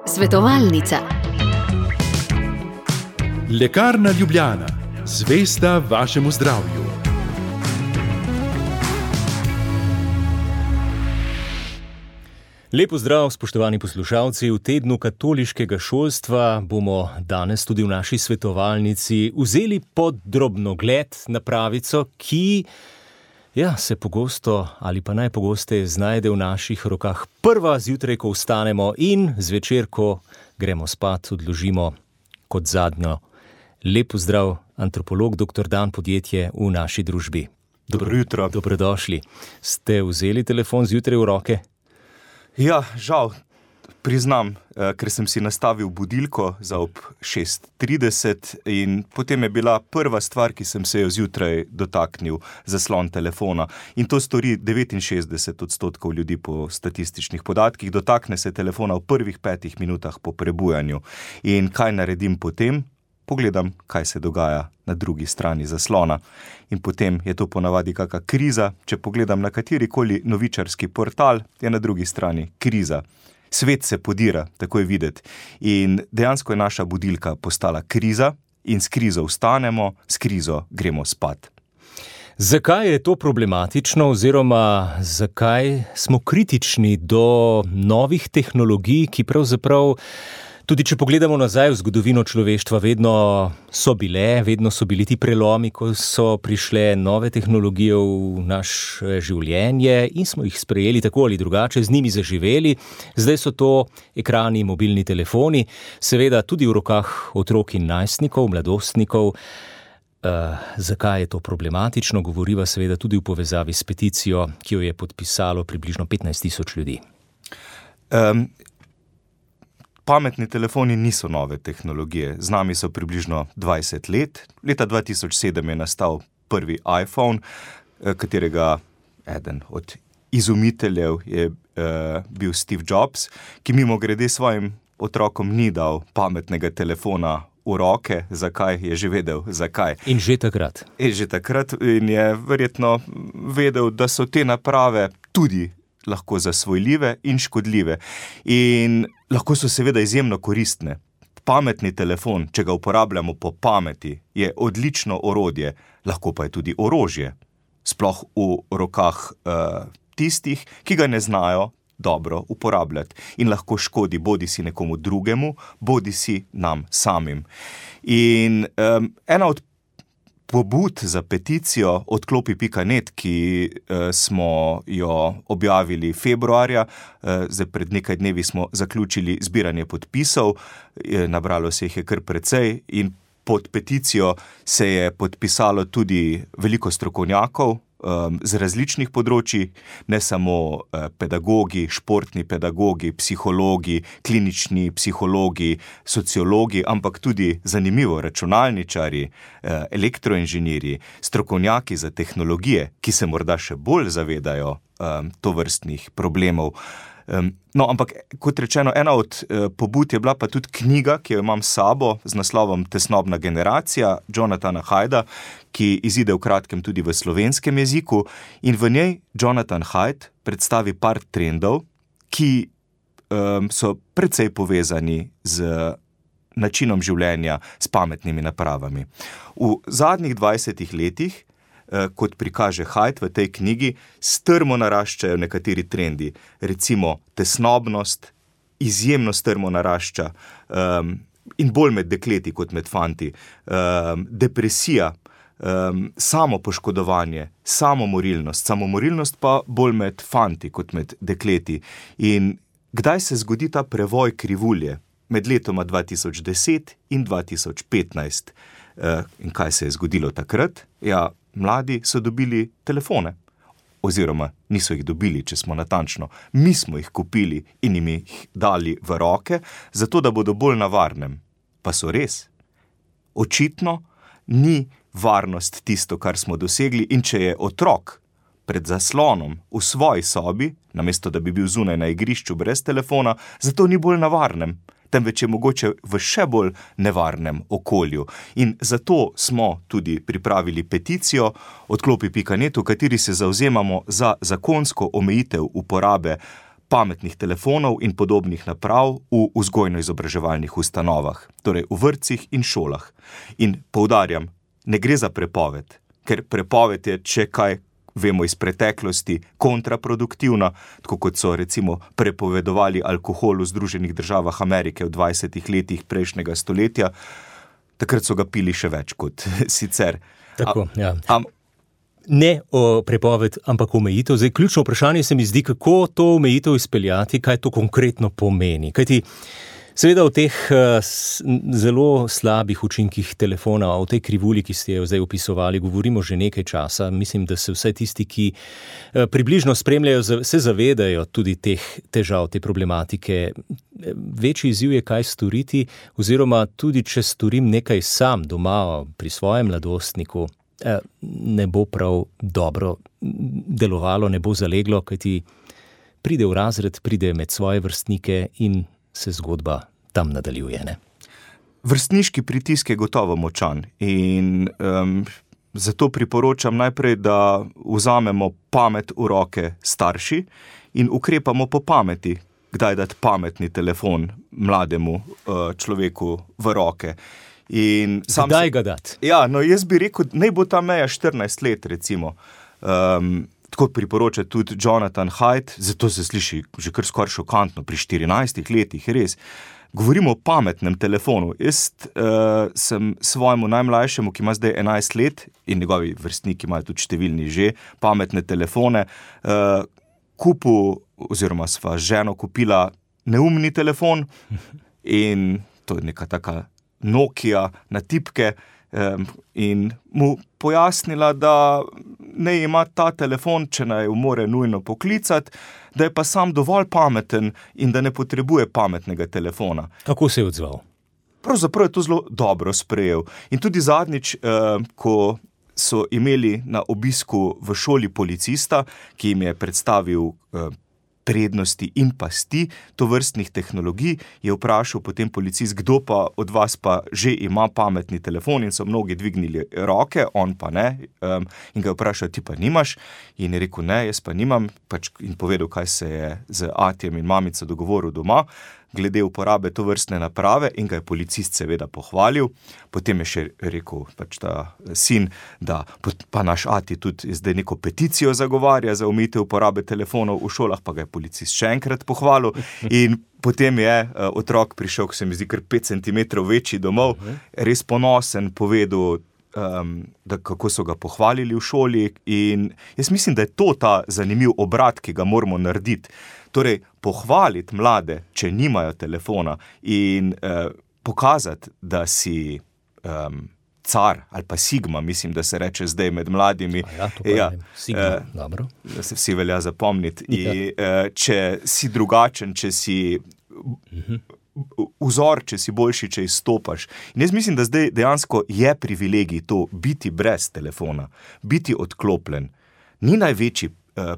Svetovalnica. Lekarna Ljubljana, zvesta vašemu zdravju. Lep pozdrav, spoštovani poslušalci. V tednu katoliškega šolstva bomo danes tudi v naši svetovalnici vzeli pod drobnogled na pravico, ki se pogosto ali pa najpogosteje znajde v naših rokah prva zjutraj, ko vstanemo, in zvečer, ko gremo spat, odložimo kot zadnjo. Lep pozdrav, antropolog dr. Dan Podjetje v naši družbi. Dobro jutro. Dobrodošli. Ste vzeli telefon zjutraj v roke? Ja, žal, priznam, ker sem si nastavil budilko za ob 6:30 in potem je bila prva stvar, ki sem se jo zjutraj dotaknil, zaslon telefona. In to stori 69% ljudi po statističnih podatkih. Dotakne se telefona v prvih 5 minutah po prebujanju. In kaj naredim potem? Pogledam, kaj se dogaja na drugi strani zaslona. In potem je to ponavadi kakšna kriza. Če pogledam na katerikoli novičarski portal, je na drugi strani kriza. Svet se podira, tako je videti. In dejansko je naša budilka postala kriza in s krizo vstanemo, s krizo gremo spat. Zakaj je to problematično oziroma zakaj smo kritični do novih tehnologij, ki pravzaprav, tudi če pogledamo nazaj v zgodovino človeštva, vedno so bili ti prelomi, ko so prišle nove tehnologije v naše življenje in smo jih sprejeli tako ali drugače, z njimi zaživeli. Zdaj so to ekrani, mobilni telefoni, seveda tudi v rokah otrok in najstnikov, mladostnikov. Zakaj je to problematično, govoriva seveda tudi v povezavi s peticijo, ki jo je podpisalo približno 15,000 ljudi. Pametni telefoni niso nove tehnologije. Z nami so približno 20 let. Leta 2007 je nastal prvi iPhone, katerega eden od izumiteljev je bil Steve Jobs, ki mimogrede svojim otrokom ni dal pametnega telefona v roke. Zakaj? Je že vedel, zakaj. In že takrat. In je verjetno vedel, da so te naprave tudi lahko zasvojljive in škodljive. In lahko so seveda izjemno koristne. Pametni telefon, če ga uporabljamo po pameti, je odlično orodje, lahko pa je tudi orožje. Sploh v rokah tistih, ki ga ne znajo dobro uporabljati. In lahko škodi bodisi nekomu drugemu, bodisi nam samim. In ena od pobud za peticijo odklopi.net, ki smo jo objavili februarja, zdaj pred nekaj dnevi smo zaključili zbiranje podpisov, nabralo se jih je kar precej in pod peticijo se je podpisalo tudi veliko strokovnjakov z različnih področji, ne samo pedagogi, športni pedagogi, psihologi, klinični psihologi, sociologi, ampak tudi, zanimivo, računalničarji, elektroinženirji, strokovnjaki za tehnologije, ki se morda še bolj zavedajo tovrstnih problemov. No, ampak kot rečeno, ena od pobud je bila pa tudi knjiga, ki jo imam s sabo z naslovom Tesnobna generacija Jonathana Haida, ki izide v kratkem tudi v slovenskem jeziku, in v njej Jonathan Haidt predstavi par trendov, ki so precej povezani z načinom življenja s pametnimi napravami. V zadnjih 20 letih, kot prikaže Haidt v tej knjigi, strmo naraščajo nekateri trendi. Recimo tesnobnost izjemno strmo narašča in bolj med dekleti kot med fanti. Depresija, samopoškodovanje, samomorilnost pa bolj med fanti kot med dekleti. In kdaj se zgodi ta prevoj krivulje? Med letoma 2010 in 2015. In kaj se je zgodilo takrat? Ja, mladi so dobili telefone. Oziroma, niso jih dobili, če smo natančno. Mi smo jih kupili in jim jih dali v roke, zato da bodo bolj na varnem. Pa so res. Očitno ni varnost tisto, kar smo dosegli, in če je otrok pred zaslonom v svoji sobi, namesto da bi bil zunaj na igrišču brez telefona, zato ni bolj na varnem. temveč je mogoče v še bolj nevarnem okolju. In zato smo tudi pripravili peticijo Odklopi.net, v kateri se zavzemamo za zakonsko omejitev uporabe pametnih telefonov in podobnih naprav v vzgojno-izobraževalnih ustanovah, torej v vrtcih in šolah. In poudarjam, ne gre za prepoved, ker prepoved je, če kaj vemo iz preteklosti, kontraproduktivna, tako kot so recimo prepovedovali alkohol v Združenih državah Amerike v 20 letih prejšnjega stoletja. Takrat so ga pili še več kot sicer. Tako, ja. Ne o prepoved, ampak omejitev. Zdaj, ključno vprašanje se mi zdi, kako to omejitev izpeljati, kaj to konkretno pomeni. Kajti, seveda o teh zelo slabih učinkih telefona, o tej krivulji, ki ste jo zdaj opisovali, govorimo že nekaj časa. Mislim, da se vsaj tisti, ki približno spremljajo, se zavedajo tudi teh težav, te problematike. Večji izziv je, kaj storiti, oziroma tudi, če storim nekaj sam doma pri svojem mladostniku, ne bo prav dobro delovalo, ne bo zaleglo, kajti pride v razred, pride med svoje vrstnike in se zgodba tam nadaljuje, ne? Vrstniški pritisk je gotovo močan in zato priporočam najprej, da vzamemo pamet v roke starši in ukrepamo po pameti, kdaj dati pametni telefon mlademu človeku v roke. Kdaj ga dati? Ja, no jaz bi rekel, naj bo ta meja 14 let recimo. Tako priporoča tudi Jonathan Haidt, zato se sliši že kar skoraj šokantno, pri 14 letih, res. Govorimo o pametnem telefonu. Jaz sem svojemu najmlajšemu, ki ima zdaj 11 let, in njegovi vrstniki imajo tudi številni že pametne telefone, kupil, oziroma sva ženo kupila neumni telefon in to je neka taka Nokia na tipke in mu pojasnila, da ne ima ta telefon, če naj more nujno poklicati, da je pa sam dovolj pameten in da ne potrebuje pametnega telefona. Kako se je odzval? Pravzaprav je to zelo dobro sprejel. In tudi zadnjič, ko so imeli na obisku v šoli policista, ki jim je predstavil prednosti in pasti tovrstnih tehnologij, je vprašal potem policist, kdo pa od vas pa že ima pametni telefon, in so mnogi dvignili roke, on pa ne, in ga je vprašal, ti pa nimaš, in je rekel, ne, jaz pa nimam, in povedal, kaj se je z atijem in mamico dogovoril doma, glede uporabe tovrstne naprave, in ga je policist seveda pohvalil. Potem je še rekel ta sin, da pa naš ati tudi zdaj neko peticijo zagovarja za omejitev uporabe telefonov v šolah, pa ga je policist še enkrat pohvalil. In potem je otrok prišel, ko se mi zdi kar 5 cm večji domov, res ponosen, povedal, da kako so ga pohvalili v šoli, in jaz mislim, da je to ta zanimiv obrat, ki ga moramo narediti. Torej, pohvaliti mlade, če nimajo telefona, in pokazati, da si car ali pa sigma, mislim, da se reče zdaj med mladimi. Sigma, dobro. Da se vsi velja zapomniti. In če si drugačen, če si vzor, če si boljši, če izstopaš. In jaz mislim, da zdaj dejansko je privilegij to biti brez telefona, biti odklopljen. Ni največji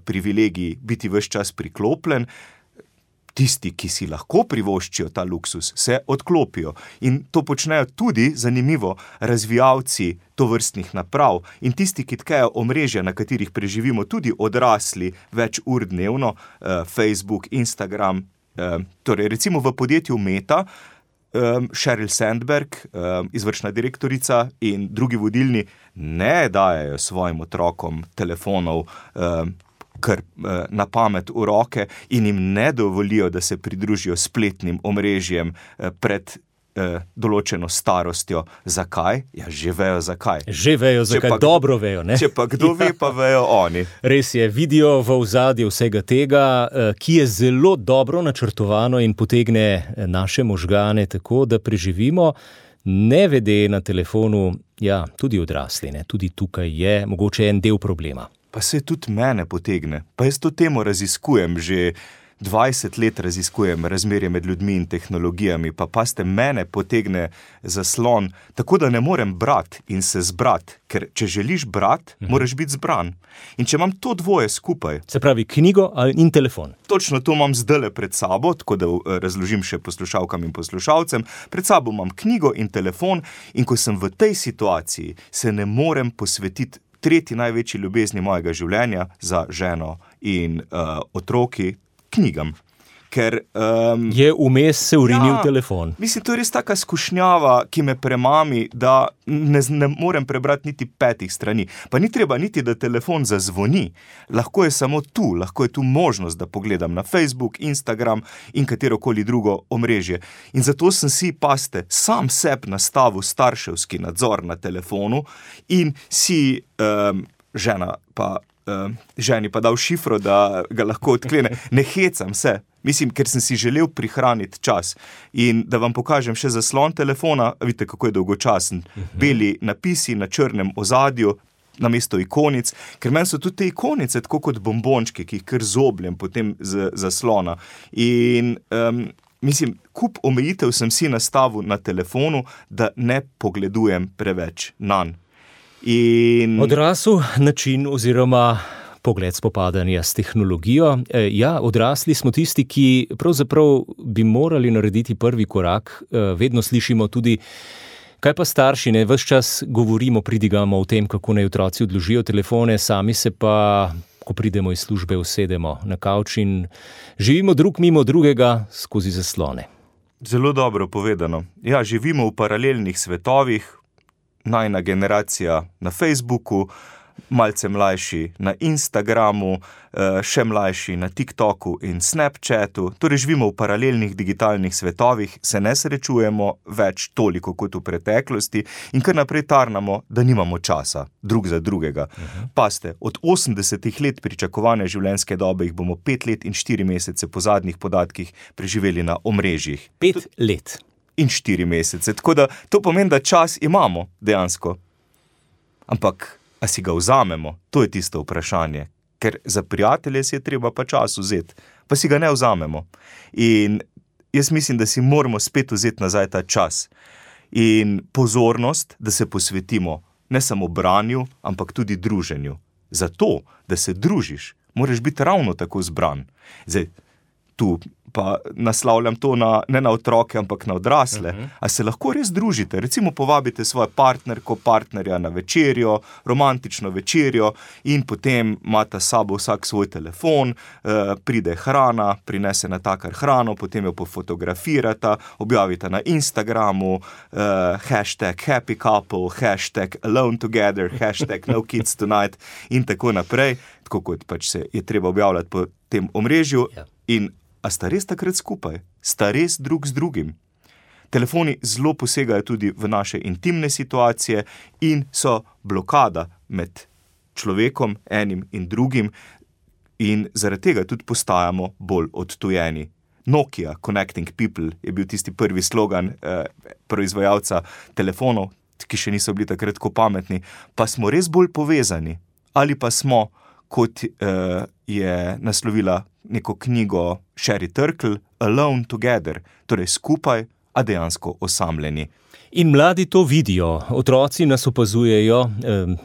privilegij biti ves čas priklopljen. Tisti, ki si lahko privoščijo ta luksus, se odklopijo. In to počnejo tudi, zanimivo, razvijalci tovrstnih naprav in tisti, ki tkejo omrežja, na katerih preživimo tudi odrasli več ur dnevno, Facebook, Instagram. Torej, recimo v podjetju Meta, Sheryl Sandberg, izvršna direktorica, in drugi vodilni ne dajejo svojim otrokom telefonov kar na pamet v roke in jim ne dovolijo, da se pridružijo spletnim omrežjem pred določeno starostjo. Zakaj? Ja, že vejo zakaj. Že vejo zakaj, dobro vejo, ne? Če pa kdo ve, pa vejo oni. Res je, vidijo v ozadju vsega tega, ki je zelo dobro načrtovano in potegne naše možgane tako, da preživimo nevede na telefonu, ja, tudi odrasli, ne? Tudi tukaj je mogoče en del problema. Pa se tudi mene potegne. Pa jaz to temo raziskujem že 20 let raziskujem razmerje med ljudmi in tehnologijami, pa ste mene potegne zaslon, tako da ne morem brati in se zbrati, ker če želiš brati, moraš biti zbran. In če imam to dvoje skupaj... Se pravi knjigo in telefon. Točno to imam zdajle pred sabo, tako da razložim še poslušalkam in poslušalcem. Pred sabo imam knjigo in telefon in ko sem v tej situaciji, se ne morem posvetiti tretji največji ljubezni mojega življenja za ženo in otroki, knjigam. Ker, je vmes se urinil telefon. Mislim, to je res taka skušnjava, ki me premami, da ne morem prebrati niti 5 strani. Pa ni treba niti, da telefon zazvoni. Lahko je samo tu, lahko je tu možnost, da pogledam na Facebook, Instagram in katerokoli drugo omrežje. In zato sem si, paste, sam sebi nastavil starševski nadzor na telefonu in si ženi pa dal šifro, da ga lahko odklene. Ne hecam se. Mislim, ker sem si želel prihraniti čas. In da vam pokažem še zaslon telefona, vidite, kako je dolgočasen. Beli napisi na črnem ozadju, namesto ikonic, ker meni so tudi te ikonice tako kot bombončke, ki jih kar zobljem potem z zaslona. In mislim, kup omejitev sem si nastavil na telefonu, da ne pogledujem preveč nanj. Odrasel način oziroma pogled spopadanja s tehnologijo. Ja, odrasli smo tisti, ki pravzaprav bi morali narediti prvi korak. Vedno slišimo tudi, kaj pa starši, ne? Ves čas govorimo, pridigamo o tem, kako naj otroci odložijo telefone, sami se pa, ko pridemo iz službe, usedemo na kavč in živimo drug mimo drugega skozi zaslone. Zelo dobro povedano. Ja, živimo v paralelnih svetovih, najina generacija na Facebooku, malce mlajši na Instagramu, še mlajši na TikToku in Snapchatu. Torej živimo v paralelnih digitalnih svetovih, se ne srečujemo več toliko kot v preteklosti in kar naprej tarnamo, da nimamo časa drug za drugega. Paste, od 80 let pričakovane življenjske dobe jih bomo 5 let in 4 mesece po zadnjih podatkih preživeli na omrežjih. 5 let. In 4 mesece. Tako da to pomeni, da čas imamo dejansko. Ampak a si ga vzamemo? To je tisto vprašanje. Ker za prijatelje si je treba pa čas vzeti, pa si ga ne vzamemo. In jaz mislim, da si moramo spet vzeti nazaj ta čas. In pozornost, da se posvetimo ne samo branju, ampak tudi druženju. Zato, da se družiš, moraš biti ravno tako zbran. Zdaj, tu pa naslavljam to ne na otroke, ampak na odrasle. A se lahko res družite? Recimo povabite svojo partnerja na večerjo, romantično večerjo in potem imate s sabo vsak svoj telefon, pride hrana, prinese natakar hrano, potem jo pofotografirata, objavite na Instagramu, hashtag happy couple, hashtag alone together, hashtag no kids tonight in tako naprej, tako kot pač se je treba objavljati po tem omrežju. In a sta res takrat skupaj? Sta res drug z drugim? Telefoni zelo posegajo tudi v naše intimne situacije in so blokada med človekom, enim in drugim, in zaradi tega tudi postajamo bolj odtujeni. Nokia, Connecting People, je bil tisti prvi slogan proizvajalca telefonov, ki še niso bili takrat tako pametni. Pa smo res bolj povezani? Ali pa smo, kot je naslovila neko knjigo Sherry Turkle, Alone Together, torej skupaj, a dejansko osamljeni. In mladi to vidijo, otroci nas opazujejo,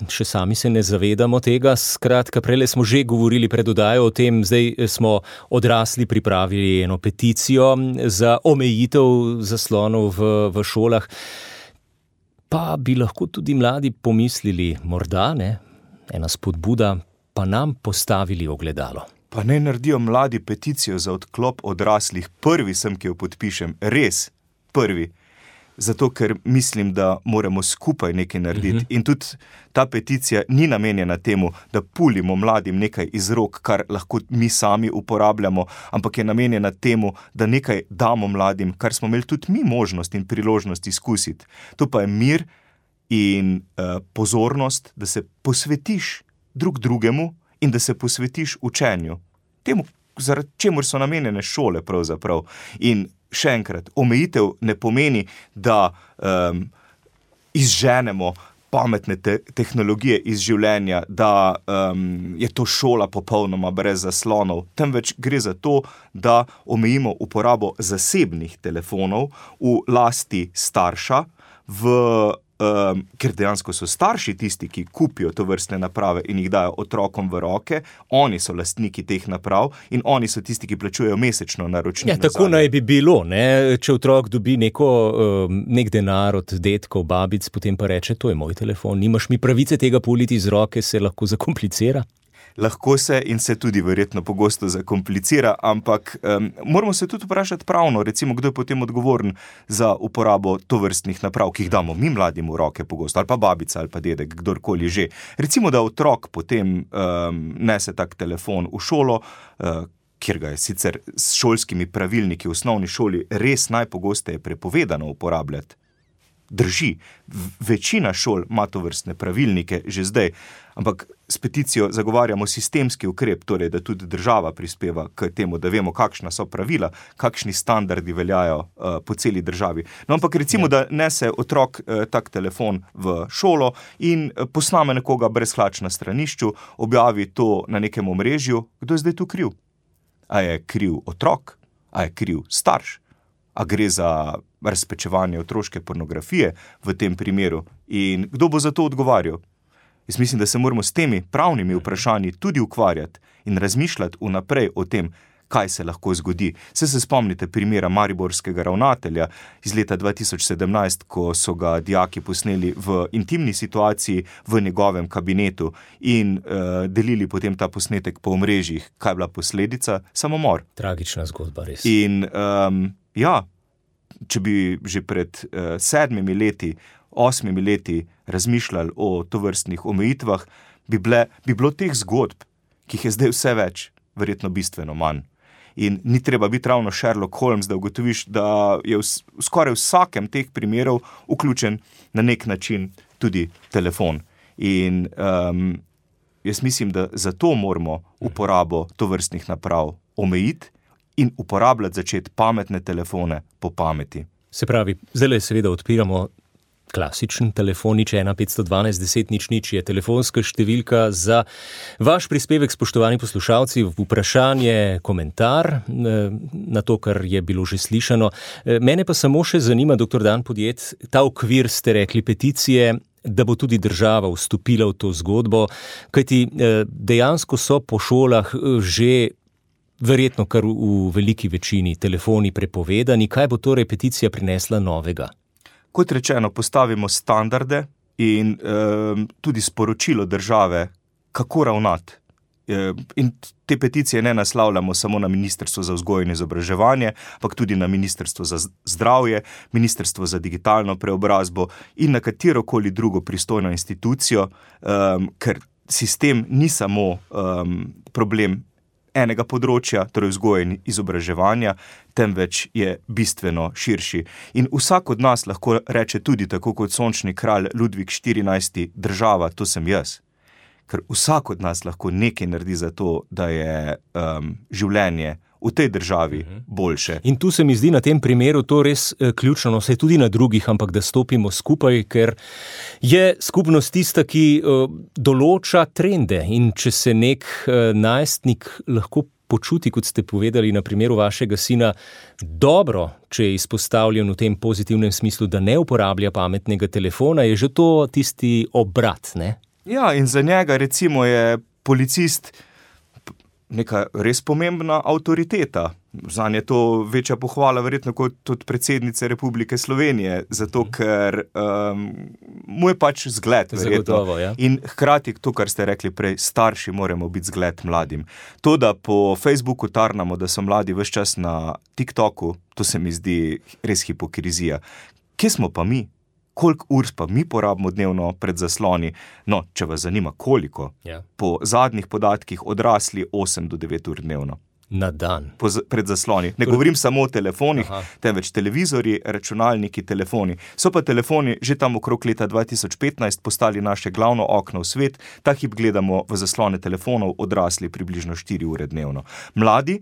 še sami se ne zavedamo tega. Skratka, prejle smo že govorili pred oddajo o tem, zdaj smo odrasli pripravili eno peticijo za omejitev zaslonov v šolah. Pa bi lahko tudi mladi pomislili, morda, ne, ena spodbuda, pa nam postavili ogledalo. Pa ne naredijo mladi peticijo za odklop odraslih. Prvi sem, ki jo podpišem. Res, prvi. Zato, ker mislim, da moramo skupaj nekaj narediti. In tudi ta peticija ni namenjena temu, da pulimo mladim nekaj iz rok, kar lahko mi sami uporabljamo, ampak je namenjena temu, da nekaj damo mladim, kar smo imeli tudi mi možnost in priložnost izkusiti. To pa je mir in pozornost, da se posvetiš drug drugemu in da se posvetiš učenju. Temu, zaradi čemur so namenjene šole pravzaprav. In še enkrat, omejitev ne pomeni, da izženemo pametne tehnologije iz življenja, da je to šola popolnoma brez zaslonov, temveč gre za to, da omejimo uporabo zasebnih telefonov v lasti starša, ker dejansko so starši tisti, ki kupijo to vrstne naprave in jih dajo otrokom v roke, oni so lastniki teh naprav in oni so tisti, ki plačujejo mesečno naročnino. Ja, tako naj bi bilo, ne? Če otrok dobi nek denar od dedkov, babic, potem pa reče, to je moj telefon, nimaš mi pravice tega puliti iz roke, se lahko zakomplicira. Lahko se in se tudi verjetno pogosto zakomplicira, ampak moramo se tudi vprašati pravno, recimo, kdo je potem odgovoren za uporabo tovrstnih naprav, ki jih damo mi mladim v roke pogosto, ali pa babica, ali pa dedek, kdorkoli že. Recimo, da otrok potem nese tak telefon v šolo, kjer ga je sicer s šolskimi pravilniki v osnovni šoli res najpogosteje prepovedano uporabljati. Drži, večina šol ima tovrstne pravilnike že zdaj, ampak s peticijo zagovarjamo sistemski ukrep, torej da tudi država prispeva k temu, da vemo, kakšna so pravila, kakšni standardi veljajo po celi državi. No, ampak recimo, da nese otrok tak telefon v šolo in posname nekoga brezhlač na stranišču, objavi to na nekem omrežju, kdo je zdaj tu kriv? A je kriv otrok? A je kriv starš? A gre za razpečevanje otroške pornografije v tem primeru? In kdo bo za to odgovarjal? Jaz mislim, da se moramo s temi pravnimi vprašanji tudi ukvarjati in razmišljati vnaprej o tem, kaj se lahko zgodi. Se spomnite primera mariborskega ravnatelja iz leta 2017, ko so ga dijaki posneli v intimni situaciji v njegovem kabinetu in delili potem ta posnetek po omrežjih. Kaj je bila posledica? Samomor. Tragična zgodba, res. In če bi že pred 7 leti, 8 leti razmišljali o tovrstnih omejitvah, bi bilo teh zgodb, ki jih je zdaj vse več, verjetno bistveno manj. In ni treba biti ravno Sherlock Holmes, da ugotoviš, da je v skoraj vsakem teh primerov vključen na nek način tudi telefon. In jaz mislim, da zato moramo uporabo tovrstnih naprav omejiti in uporabljati začeti pametne telefone po pameti. Se pravi, zdaj seveda odpiramo klasičen telefonič 1512-1000 je telefonska številka za vaš prispevek, spoštovani poslušalci, vprašanje, komentar na to, kar je bilo že slišano. Mene pa samo še zanima, dr. Dan Podjed, ta okvir ste rekli peticije, da bo tudi država vstopila v to zgodbo, kajti dejansko so po šolah že verjetno kar v veliki večini telefoni prepovedani. Kaj bo torej peticija prinesla novega? Kot rečeno, postavimo standarde in tudi sporočilo države, kako ravnati. In te peticije ne naslavljamo samo na Ministrstvo za vzgojo in izobraževanje, ampak tudi na Ministrstvo za zdravje, Ministrstvo za digitalno preobrazbo in na katerokoli drugo pristojno institucijo, ker sistem ni samo problem enega področja, torej vzgoje in izobraževanja, temveč je bistveno širši. In vsak od nas lahko reče tudi, tako kot sončni kralj Ludvik XIV, država, to sem jaz. Ker vsak od nas lahko nekaj naredi za to, da je življenje v tej državi boljše. In tu se mi zdi na tem primeru to res ključno, vse tudi na drugih, ampak da stopimo skupaj, ker je skupnost tista, ki določa trende. In če se nek najstnik lahko počuti, kot ste povedali na primeru vašega sina, dobro, če je izpostavljen v tem pozitivnem smislu, da ne uporablja pametnega telefona, je že to tisti obrat, ne? Ja, in za njega recimo je policist neka res pomembna avtoriteta. Zanj je to večja pohvala verjetno kot od predsednice Republike Slovenije, zato ker mu je pač zgled verjetno. Zagotovo, ja. In hkrati to, kar ste rekli prej, starši moramo biti zgled mladim. To, da po Facebooku tarnamo, da so mladi ves čas na TikToku, to se mi zdi res hipokrizija. Kje smo pa mi? Koliko ur pa mi porabimo dnevno pred zasloni? No, če vas zanima, koliko? Ja. Po zadnjih podatkih odrasli 8 do 9 ur dnevno. Na dan. Pred zasloni. Ne govorim samo o telefonih, temveč televizori, računalniki, telefoni. So pa telefoni že tam okrog leta 2015 postali naše glavno okno v svet. Ta hip gledamo v zaslone telefonov odrasli približno 4 ure dnevno. Mladi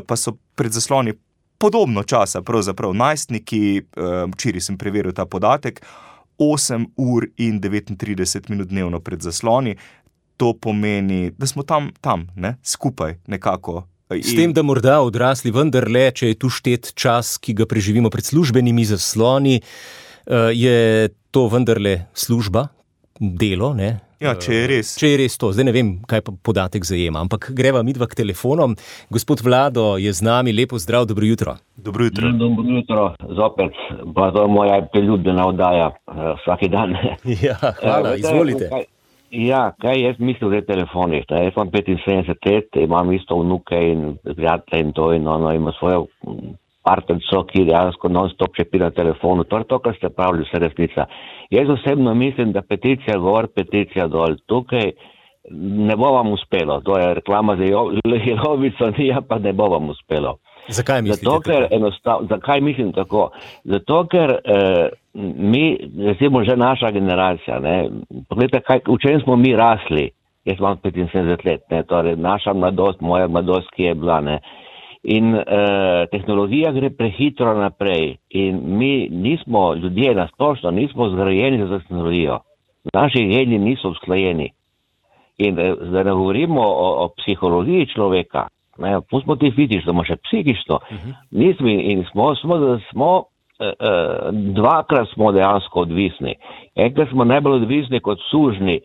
pa so pred zasloni podobno časa, pravzaprav najstniki, včeraj sem preveril ta podatek, 8 ur in 39 minut dnevno pred zasloni. To pomeni, da smo tam, ne, skupaj nekako. S tem, da morda odrasli vendarle, če je tu štet čas, ki ga preživimo pred službenimi zasloni, je to vendarle služba, delo, ne? Ja, če je res. Če je res to. Zdaj ne vem, kaj pa podatek zajema, ampak greva midva k telefonom. Gospod Vlado je z nami, lepo zdrav, dobro jutro. Dobro jutro. Dobro jutro, zopet, pa to je moja priljubljena oddaja vsaki dan. Ja, hvala, izvolite. Ja, kaj jaz mislim o telefonih? Jaz imam 75 let, imam isto vnuke in prijatelje in to in ono ima svojo partnerico, ki dejansko non-stop čepi na telefonu. To je to, kar ste pravili, vse resnica. Jaz osebno mislim, da peticija gor, peticija dol. Tukaj ne bo vam uspelo. To je reklama za Jehovico, pa ne bo vam uspelo. Zakaj mislite tako? Zakaj mislim tako? Zato, ker mi, recimo že naša generacija, pogledajte, v čem smo mi rasli. Jaz imam 75 let, torej naša mladost, moja mladost, ki je bila, In tehnologija gre prehitro naprej in mi nismo, ljudje nasplošno, nismo zgrajeni za tehnologijo. Naši geni niso usklajeni. In da ne govorimo o psihologiji človeka, pustimo ti fizično, še psihično. Nismo in smo dvakrat smo dejansko odvisni. Enkrat smo najbolj odvisni kot sužni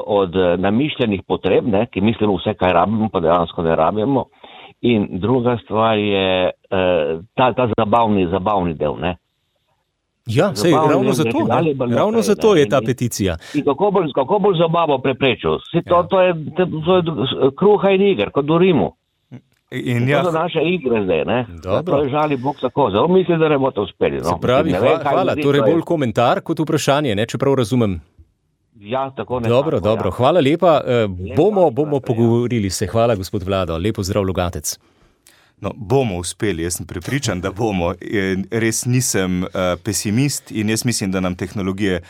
od namišljenih potreb, ki mislimo vse, kaj rabimo, pa dejansko ne rabimo. In druga stvar je ta zabavni del, Ja, sej, ravno zato je ta peticija. In kako bolj zabavo preprečil? To je kruha in iger, kot v Rimu. To so naše igre zdaj, To je žali Bog tako. Zelo mislim, da ne boste uspeli. Se pravi, hvala. Torej bolj komentar kot vprašanje, če prav razumem. Ja, tako nekako. Dobro. Hvala lepa. Bomo pogovorili se. Hvala, gospod Vlado. Lepo zdrav, Logatec. No, bomo uspeli, jaz sem prepričan, da bomo. Res nisem pesimist in jaz mislim, da nam tehnologije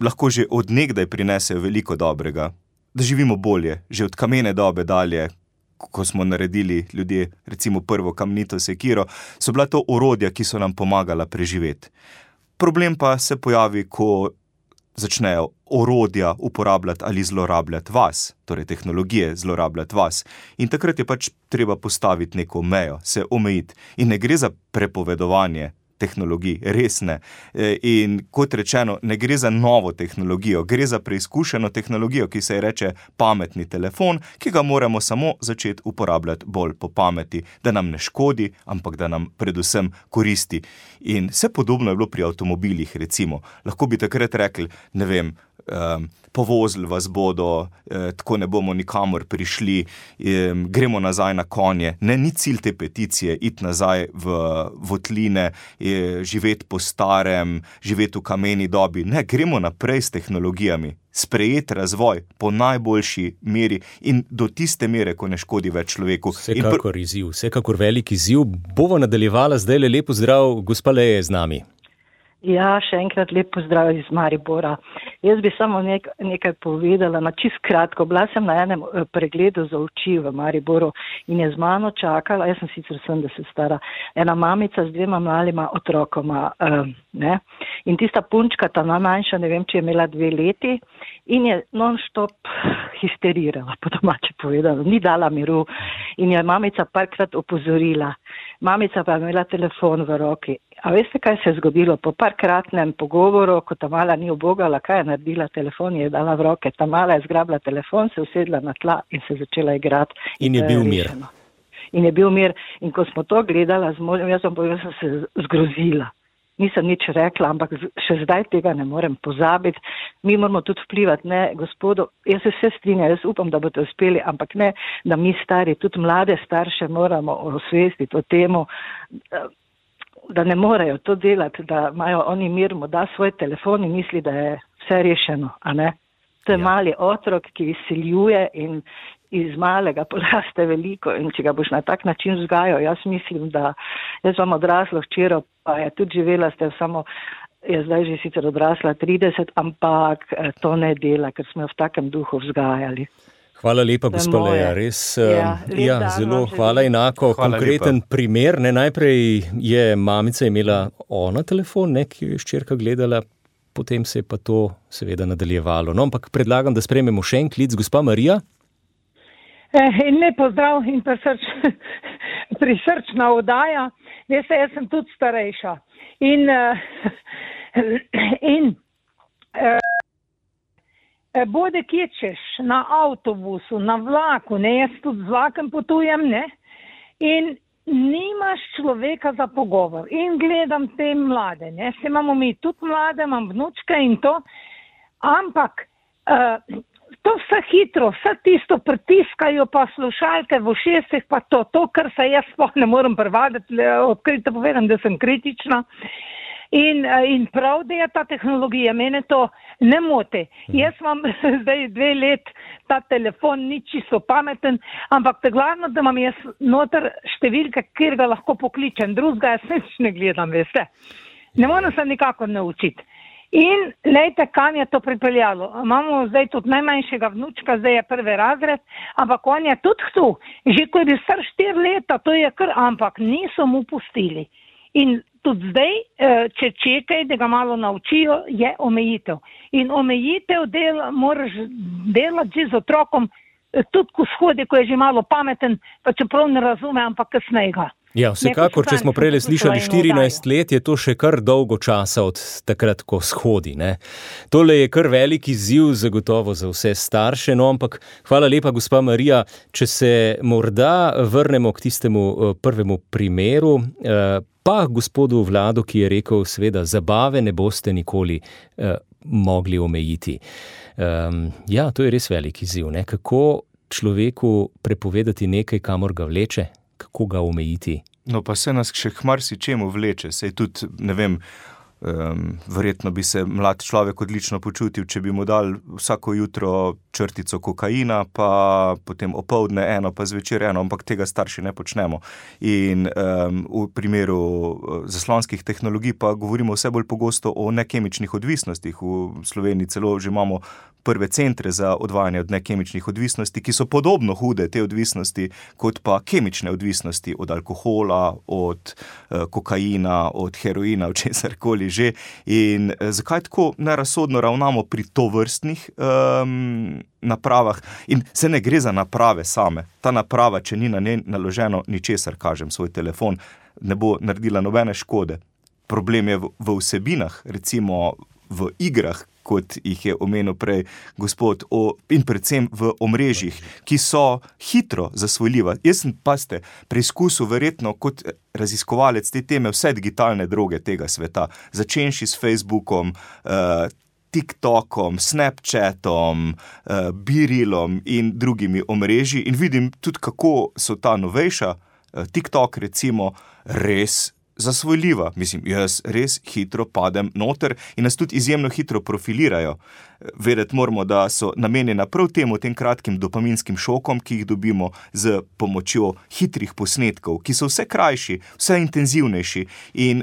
lahko že od nekdaj prinesejo veliko dobrega. Da živimo bolje, že od kamene dobe dalje, ko smo naredili ljudje, recimo prvo kamnito sekiro, so bila to orodja, ki so nam pomagala preživeti. Problem pa se pojavi, ko začnejo orodja uporabljati ali zlorabljati vas, torej tehnologije zlorabljati vas. In takrat je pač treba postaviti neko mejo, se omejiti. In ne gre za prepovedovanje tehnologij, res ne. In kot rečeno, ne gre za novo tehnologijo, gre za preizkušeno tehnologijo, ki se je reče pametni telefon, ki ga moramo samo začeti uporabljati bolj po pameti, da nam ne škodi, ampak da nam predvsem koristi. In vse podobno je bilo pri avtomobilih, recimo. Lahko bi takrat rekli, ne vem, povozili vas bodo, tako ne bomo nikamor prišli, gremo nazaj na konje. Ni cilj te peticije iti nazaj v votline, živeti po starem, živeti v kameni dobi. Ne, gremo naprej s tehnologijami, sprejeti razvoj po najboljši meri in do tiste mere, ko ne škodi več človeku. Vsekakor velik izziv. Bova nadaljevala zdaj lepo zdrav, gospa Leja je z nami. Ja, še enkrat lep pozdrav iz Maribora. Jaz bi samo nekaj povedala, čisto kratko. Bila sem na enem pregledu za oči v Mariboru in je z mano čakala, jaz sem sicer 70 stara, ena mamica z 2 malima otrokoma. In tista punčka, ta najmanjša, ne vem, če je imela 2 leti in je non-stop histerirala, po domače povedano, ni dala miru in je mamica parkrat opozorila. Mamica pa je imela telefon v roki. A veste, kaj se je zgodilo? Po parkratnem pogovoru, ko ta mala ni ubogala, kaj je naredila, telefon je dala v roke. Ta mala je zgrabila telefon, se usedla na tla in se začela igrati. In je bil mir. In je bil mir. In ko smo to gledala z možem, jaz sem se zgrozila. Nisem nič rekla, ampak še zdaj tega ne morem pozabiti. Mi moramo tudi vplivati, gospodo, jaz se vse strinjam, jaz upam, da boste uspeli, ampak ne, da mi stari, tudi mlade starše moramo osvestiti o temu, da ne morejo to delati, da imajo oni mir, mu da svoj telefon in misli, da je vse rešeno, a ne? To je mali otrok, ki izsiljuje in iz malega poraste veliko in če ga boš na tak način vzgajal, jaz mislim, da jaz vam odraslo hčero, pa je tudi živela, je zdaj že sicer odrasla 30, ampak to ne dela, ker smo jo v takem duhu vzgajali. Hvala lepa, gospa Leja, res, zelo hvala enako. Konkreten primer, najprej je mamica imela ona telefon, ki jo je hčerka gledala, potem se je pa to seveda nadaljevalo. No, ampak predlagam, da sprejmemo še en klic, gospa Marija. In lep pozdrav in prisrčna oddaja. Veste, jaz sem tudi starejša. Bode kje češ, na avtobusu, na vlaku, jaz tudi z vlakem potujem, in nimaš človeka za pogovor. In gledam te mlade, se imamo mi tudi mlade, imam vnučke in to, ampak to vse hitro, vse tisto pritiskajo, pa slušalke v ušesih, pa to, kar se jaz sploh ne morem prevaditi, odkrito povedam, da sem kritična. In prav, da je ta tehnologija, mene to ne moti. Jaz imam zdaj 2 let, ta telefon ni čisto pameten, ampak te glavno, da imam jaz noter številke, kjer ga lahko pokličem, drugega jaz nič ne gledam, veste. Ne moram se nikako naučiti. In lejte, kam je to pripeljalo. Imamo zdaj tudi najmanjšega vnučka, zdaj je 1. razred, ampak on je tudi tu. Že ko je bil star 4 leta, to je kar, ampak niso mu pustili. In tudi zdaj, če čekaj, da ga malo naučijo, je omejitev. In omejitev moraš delati že z otrokom, tudi ko shodi, ko je že malo pameten, pa čeprav ne razume, ampak kasneje ga. Ja, vsekakor, če smo prej slišali 14 let, je to še kar dolgo časa od takrat, ko shodi. Ne? Tole je kar velik izziv, zagotovo za vse starše, no, ampak hvala lepa, gospa Marija, če se morda vrnemo k tistemu prvemu primeru, pa gospodu Vladu, ki je rekel, seveda, zabave ne boste nikoli mogli omejiti. Ja, to je res velik izziv, ne? Kako človeku prepovedati nekaj, kamor ga vleče? Kako ga omejiti? No, pa se nas še k marsičemu vleče, sej tudi, ne vem, verjetno bi se mlad človek odlično počutil, če bi mu dal vsako jutro črtico kokaina, pa potem opoldne eno, pa zvečer eno, ampak tega starši ne počnemo. In v primeru zaslonskih tehnologij pa govorimo vse bolj pogosto o nekemičnih odvisnostih. V Sloveniji celo že imamo prve centre za odvajanje od nekemičnih odvisnosti, ki so podobno hude te odvisnosti, kot pa kemične odvisnosti od alkohola, od kokaina, od heroina, od česarkoli že. In zakaj tako nerazsodno ravnamo pri tovrstnih napravah? In se ne gre za naprave same. Ta naprava, če ni na njej naloženo ničesar, kažem svoj telefon, ne bo naredila nobene škode. Problem je v vsebinah, recimo v igrah, kot jih je omenil prej gospod, in predvsem v omrežjih, ki so hitro zasvojljiva. Jaz sem, pazite, preizkusil verjetno kot raziskovalec te teme vse digitalne droge tega sveta, začenši s Facebookom, TikTokom, Snapchatom, Birilom in drugimi omrežji in vidim tudi, kako so ta novejša, TikTok recimo, res zasvojljiva. Mislim, jaz res hitro padem noter in nas tudi izjemno hitro profilirajo. Vedeti moramo, da so namenjena prav tem kratkim dopaminskim šokom, ki jih dobimo z pomočjo hitrih posnetkov, ki so vse krajši, vse intenzivnejši in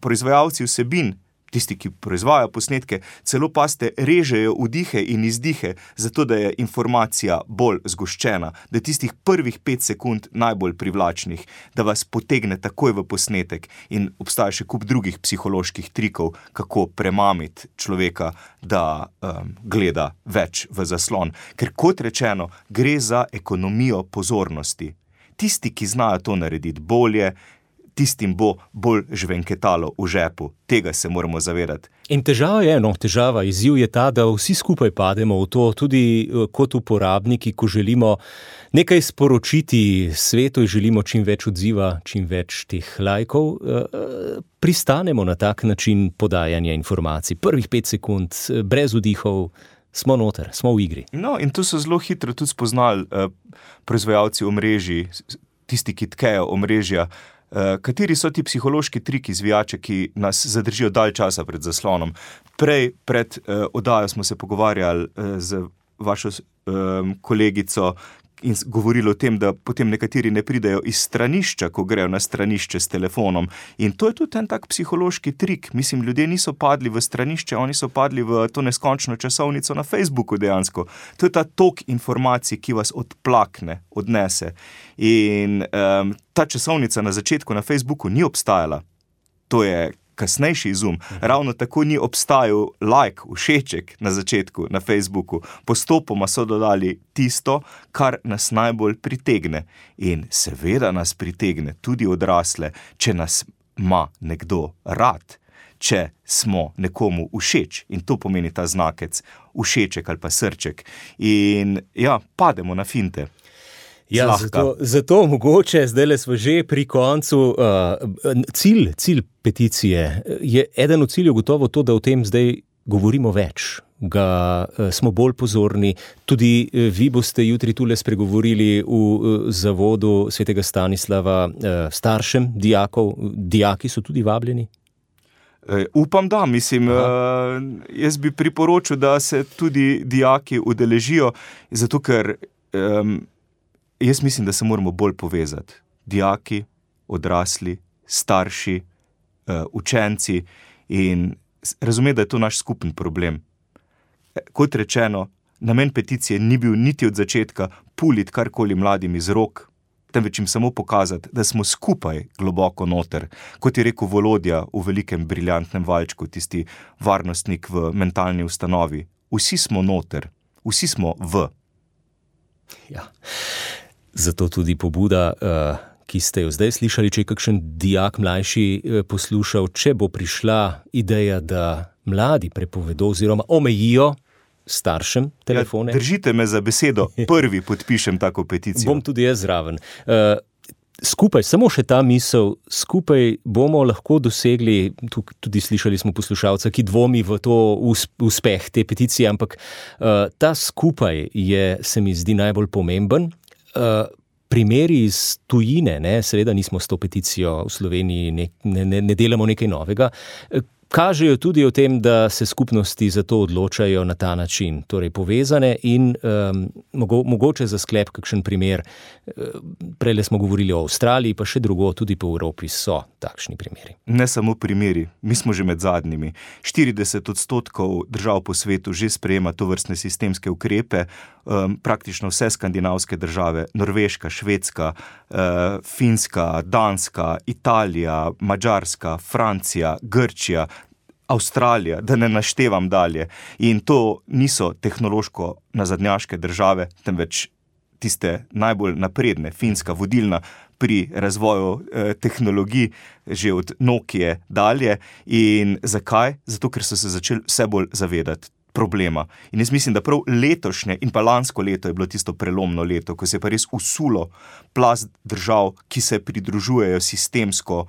proizvajalci vsebin, tisti, ki proizvajajo posnetke, celo paste režejo vdihe in izdihe, zato da je informacija bolj zgoščena, da je tistih prvih 5 sekund najbolj privlačnih, da vas potegne takoj v posnetek in obstaja še kup drugih psiholoških trikov, kako premamiti človeka, da gleda več v zaslon. Ker kot rečeno, gre za ekonomijo pozornosti. Tisti, ki znajo to narediti bolje, tistim bo bolj žvenketalo v žepu. Tega se moramo zavedati. In težava, izziv je ta, da vsi skupaj pademo v to, tudi kot uporabniki, ko želimo nekaj sporočiti svetu, želimo čim več odziva, čim več teh lajkov, pristanemo na tak način podajanja informacij. Prvih 5 sekund, brez vdihov, smo noter, smo v igri. No, in to so zelo hitro tudi spoznali proizvajalci omrežij, tisti, ki tkejo omrežja, kateri so ti psihološki triki zvijače, ki nas zadržijo dalj časa pred zaslonom. Pred oddajo smo se pogovarjali z vašo kolegico in govorili o tem, da potem nekateri ne pridejo iz stranišča, ko grejo na stranišče s telefonom. In to je tudi en tak psihološki trik. Mislim, ljudje niso padli v stranišče, oni so padli v to neskončno časovnico na Facebooku dejansko. To je ta tok informacij, ki vas odplakne, odnese. In ta časovnica na začetku na Facebooku ni obstajala. To je kasnejši izum. Ravno tako ni obstajal like, všeček na začetku na Facebooku. Postopoma so dodali tisto, kar nas najbolj pritegne. In seveda nas pritegne tudi odrasle, če nas ima nekdo rad, če smo nekomu všeč. In to pomeni ta znakec, všeček ali pa srček. In ja, pademo na finte. Ja, zato mogoče, zdajle smo že pri koncu, cilj peticije je, eden od ciljev gotovo to, da o tem zdaj govorimo več. smo bolj pozorni. Tudi vi boste jutri tule spregovorili v zavodu svetega Stanislava staršem dijakov. Dijaki so tudi vabljeni? Upam, da. Jaz bi priporočil, da se tudi dijaki udeležijo, zato ker jaz mislim, da se moramo bolj povezati. Dijaki, odrasli, starši, učenci in razumeti, da je to naš skupen problem. Kot rečeno, namen peticije ni bil niti od začetka puliti karkoli mladim iz rok, temveč jim samo pokazati, da smo skupaj globoko noter. Kot je rekel Volodja v velikem briljantnem valčku, tisti varnostnik v mentalni ustanovi. Vsi smo noter, vsi smo v. Ja. Zato tudi pobuda, ki ste jo zdaj slišali, če je kakšen dijak mlajši poslušal, če bo prišla ideja, da mladi prepovedo oziroma omejijo staršem telefone. Ja, držite me za besedo, prvi podpišem tako peticijo. Bom tudi jaz zraven. Skupaj, samo še ta misel, skupaj bomo lahko dosegli, tudi slišali smo poslušalca, ki dvomi v to uspeh te peticije, ampak ta skupaj se mi zdi najbolj pomemben. Primeri iz tujine, seveda nismo s to peticijo v Sloveniji, ne delamo nekaj novega, kažejo tudi o tem, da se skupnosti za to odločajo na ta način, torej povezane in mogoče za sklep kakšen primer. Prejle smo govorili o Avstraliji, pa še drugo, tudi po Evropi so takšni primeri. Ne samo primeri, mi smo že med zadnjimi. 40% držav po svetu že sprejema tovrstne sistemske ukrepe, praktično vse skandinavske države, Norveška, Švedska, Finska, Danska, Italija, Madžarska, Francija, Grčija, Avstralija, da ne naštevam dalje. In to niso tehnološko nazadnjaške države, temveč tiste najbolj napredne, Finska, vodilna pri razvoju tehnologij, že od Nokije dalje. In zakaj? Zato, ker so se začeli vse bolj zavedati problema. In jaz mislim, da prav letošnje in pa lansko leto je bilo tisto prelomno leto, ko se je pa res usulo plast držav, ki se pridružujejo sistemsko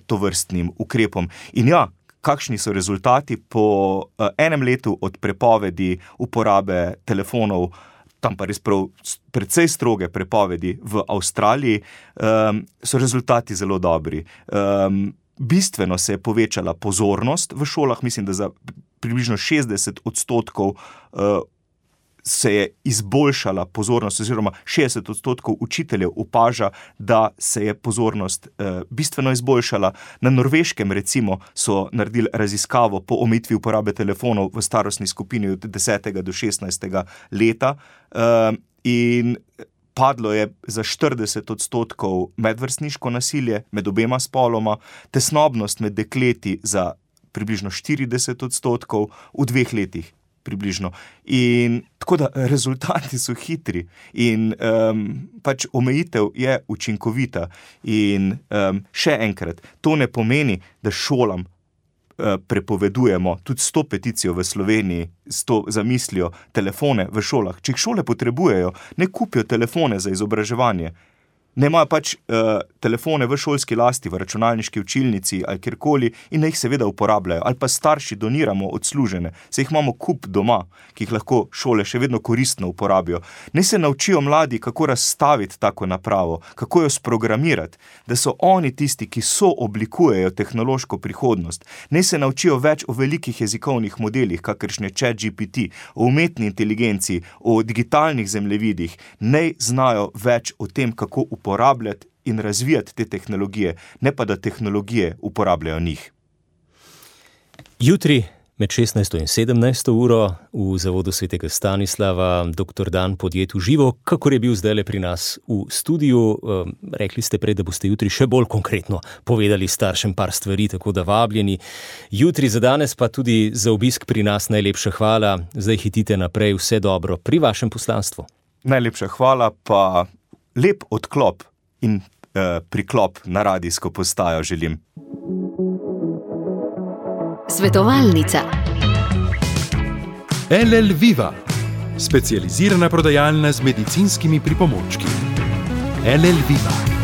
tovrstnim ukrepom. In ja, kakšni so rezultati po enem letu od prepovedi uporabe telefonov, tam pa res precej stroge prepovedi v Avstraliji, so rezultati zelo dobri. Bistveno se je povečala pozornost v šolah, mislim, da za približno 60% se je izboljšala pozornost, oziroma 60% učiteljev opaža, da se je pozornost bistveno izboljšala. Na Norveškem recimo so naredili raziskavo po omejitvi uporabe telefonov v starostni skupini od 10. do 16. leta in padlo je za 40% medvrstniško nasilje med obema spoloma, tesnobnost med dekleti za približno 40% v 2 letih. Približno. In tako da rezultati so hitri in pač omejitev je učinkovita. In še enkrat, to ne pomeni, da šolam prepovedujemo tudi s to peticijo v Sloveniji, s to zamislijo telefone v šolah. Če jih šole potrebujejo, ne kupijo telefone za izobraževanje. Ne imajo pač telefone v šolski lasti, v računalniški učilnici ali kjerkoli in ne jih seveda uporabljajo. Ali pa starši doniramo odslužene, se jih imamo kup doma, ki jih lahko šole še vedno koristno uporabijo. Ne se naučijo mladi, kako razstaviti tako napravo, kako jo sprogramirati, da so oni tisti, ki sooblikujejo tehnološko prihodnost. Ne se naučijo več o velikih jezikovnih modelih, kakršne ChatGPT, o umetni inteligenci, o digitalnih zemljevidih. Ne znajo več o tem, kako uporabljati in razvijati te tehnologije, ne pa da tehnologije uporabljajo njih. Jutri med 16. in 17. uro v zavodu svetega Stanislava dr. Dan Podjed v živo, kakor je bil zdajle pri nas v studiu. Rekli ste prej, da boste jutri še bolj konkretno povedali staršem par stvari, tako da vabljeni. Jutri, za danes pa tudi za obisk pri nas najlepša hvala. Zdaj hitite naprej, vse dobro pri vašem poslanstvu. Najlepša hvala, pa lep odklop in priklop na radijsko postajo želim. Svetovalnica. LL Viva, specializirana prodajalna z medicinskimi pripomočki. LL Viva.